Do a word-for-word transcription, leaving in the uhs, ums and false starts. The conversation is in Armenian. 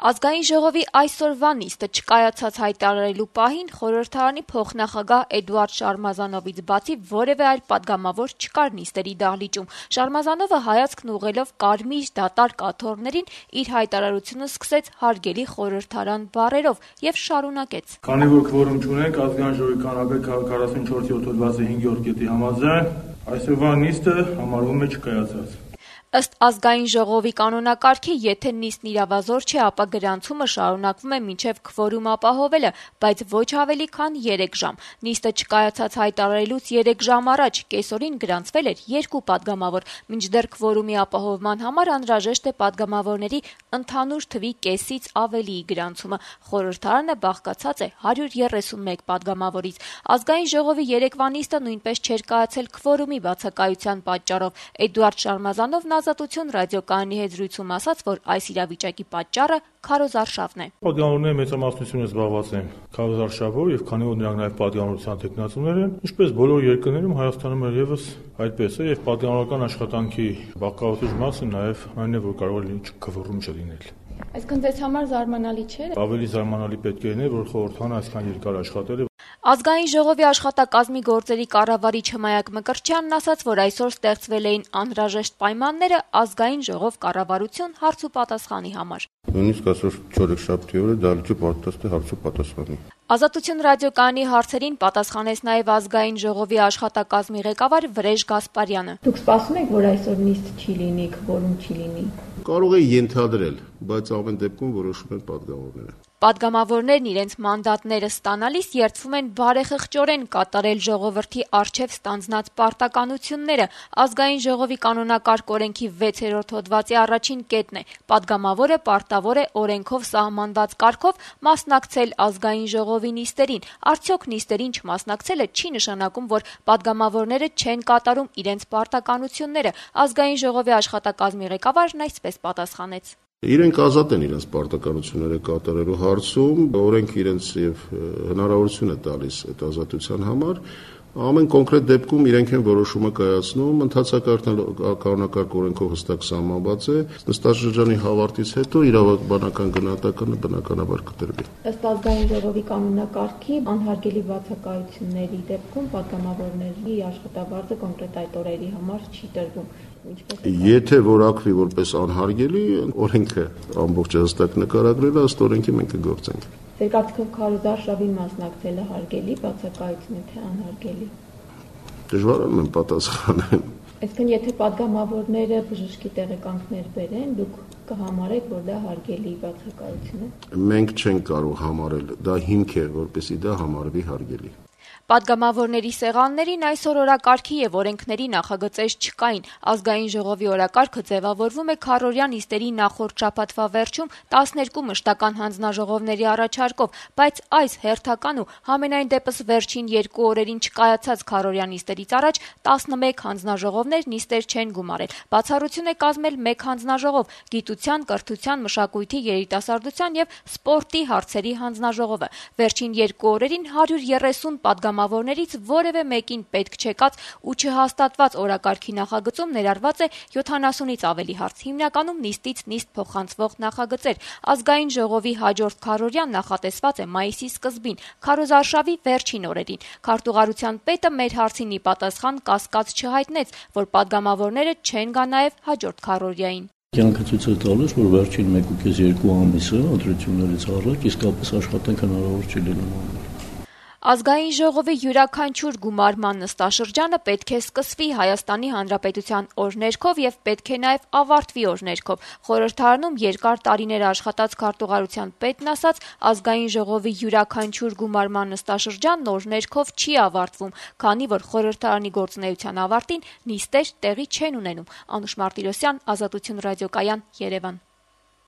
Ազգային ժողովի այսօրվա նիստը չկայացած հայտարարելու պահին խորհրդարանի փոխնախագահ Էդուարդ Շարմազանովից բացի որևէ այլ պատգամավոր չկար նիստերի դահլիճում։ Շարմազանովը հայացքն ուղղելով կարմիր դատարկ աթոռներին իր հայտարարությունը սկսեց հարգելի խորհրդարան բառերով եւ շարունակեց. Քանի որ քվորում չունենք, ազգային ժողովի կանոն քառասունչորս հոդվածի հինգերորդ կետի համաձայն այսօրվա նիստը համարվում է չկայացած։ Ըստ ազգային ժողովի կանոնակարգի, եթե նիստն իրավազոր չէ, ապա գրանցումը շարունակվում է մինչև քվորում ապահովելը, բայց ոչ ավելի քան երեք ժամ։ Նիստը չկայացած հայտարարելուց երեք ժամ առաջ կեսօրին գրանցվել էր երկու պատգամավոր, մինչդեռ քվորումի ապահովման համար անհրաժեշտ է պատգամավորների ընդհանուր թվի կեսից ավելիի գրանցումը։ Խորհրդարանը բաղկացած է հարյուր երեսունմեկ պատգամավորից։ Ազգային ժողովի երեկվա նիստը նույնպես չէր կայացել քվորումի բացակայության պատճառով։ Էդուարդ Շարմազանովն Ազատություն ռադիոկայանի հետ զրույցում ասաց, որ այս իրավիճակի պատճառը քարոզարշավն է։ Պատգամավորների մեծամասնությունը զբաղված են քարոզարշավով եւ քանի որ նրանք նաեւ պատգամավորության տեխնացուներ են, ինչպես բոլոր երկրներում Հայաստանում եւս այդպես է եւ պատգամավորական աշխատանքի բաղկացուցիչ մասը նաեւ այն է, որ կարող է քվորում չլինել։ Այսինքն ձեզ համար զարմանալի չէ։ Ավելի զարմանալի պետք է լիներ, որ խորհրդարանը այսքան երկար աշխատել է։ Ազգային ժողովի աշխատակազմի գործերի կառավարիչ Հմայակ Մկրտչյանն ասաց, որ այսօր ստեղծվել էին անհրաժեշտ պայմանները ազգային ժողով կառավարություն հարց ու պատասխանի համար։ Նույնիսկ այսօր չորեքշաբթի օրը դահլիճը պատրաստ է հարց ու պատասխանի։ Ազատություն ռադիոկայանի հարցերին պատասխանեց նաև ազգային ժողովի աշխատակազմի ղեկավար Վրեժ Գասպարյանը։ Դուք սպասում եք, որ այսօր նիստ չի լինի, քվորում չի լինի։ Կարող է ենթադրել, բայց ամեն դեպքում որոշում են պատգամավորները։ Պատգամավորներն իրենց մանդատները ստանալիս երդվում են բարեխղճորեն կատարել ժողովրդի առջև ստանձնած պարտականությունները։ Ազգային ժողովի կանոնակարգ օրենքի վեցերորդ հոդվածի առաջին կետն է. պատգամավորը պարտավոր է օրենքով սահմանված կարգով մասնակցել ազգային ժողովի նիստերին։ Արդյոք նիստերին չմասնակցելը չի նշանակում, որ պատգամավորները չեն կատարում իրենց պարտականությունները։ Ազգային ժողովի աշխատակազմի ղեկավարն այսպես պատասխանեց. Իրենք ազատ են իրենց պարտականությունները կատարելու հարցում, օրենքը իրենց եւ հնարավորություն է տալիս այդ ազատության համար։ Ամեն կոնկրետ դեպքում իրենք են որոշումը կայացնում, ընդհանրական կանոնակարգ օրենքով հստակ սահմանված է։ Նստաշրջանի հավարտից հետո իրավաբանական գնահատականը բնականաբար կտրվի։ Ըստ ազգային ժողովի կանոնակարգի անհարգելի բացակայությունների դեպքում պատգամավորների աշխատավարձը կոնկրետ այդ օրերի համար չի տրվում։ Եթե որակվի որպես անհարգելի, օրենքը ամբողջ հստակ նկարագրել է, ըստ օրենքի մենք կգործենք։ Ձեր կարծիքով քարոզարշավին մասնակցելը հարգելի բացակայություն է, թե անհարգելի։ Դժվար է պատասխանել։ Այսինքն, եթե պատգամավորները բժշկի տեղեկանքներ բերեն, դուք կհամարեք, որ դա հարգելի բացակայություն է։ Մենք չենք կարող համարել, դա հիմք է, որպեսզի դա համարվի հարգելի։ Պատգամավորների սեղաններին այսօր օրակարգի եւ օրենքների նախագծեր չկային։ Ազգային ժողովի օրակարգը ձևավորվում է քառօրյա նիստերի նախորդ շաբաթվա վերջում տասներկու մշտական հանձնաժողովների առաջարկով, բայց այս հերթական ու համենայն դեպս վերջին երկու օրերին չկայացած քառօրյա նիստերից առաջ տասնմեկ հանձնաժողովներ նիստեր չեն գումարել։ Բացառություն է կազմել մեկ հանձնաժողով՝ գիտության, կրթության, մշակույթի, երիտասարդության եւ սպորտի հարցերի հանձնաժողովը։ Վերջին երկու օրերին հարյուր երեսուն պատգամավորներից որևէ մեկին պետք չեկած ու չհաստատված օրակարգի նախագծում ներառված է յոթանասունից ավելի հարց, հիմնականում նիստից նիստ փոխանցվող նախագծեր։ Ազգային ժողովի հաջորդ քառօրյան նախատեսված է մայիսի սկզբին, քարոզարշավի վերջին օրերին։ Քարտուղարության պետը մեր հարցին ի պատասխան կասկած չհայտնեց, որ պատգամավորները չեն գա նաև հաջորդ քառօրյային։ Կյանքը ցույց է տալիս, որ վերջին մեկ ու կես երկու ամիսը ընտրություններից առաջ իսկապես աշխատանք հնարավոր չի լինում։ Ազգային ժողովի յուրաքանչյուր գումարման նստաշրջանը պետք է սկսվի Հայաստանի Հանրապետության օրներքով եւ պետք է նաեւ ավարտվի օրներքով։ Խորհրդարանում երկար տարիներ աշխատած քարտուղարության պետն ասաց, ազգային ժողովի յուրաքանչյուր գումարման նստաշրջանն օրներքով չի ավարտվում, քանի որ խորհրդարանի գործունեության ավարտին նիստեր տեղի չեն ունենում։ Անուշ Մարտիրոսյան, Ազատություն ռադիոկայան, Երևան։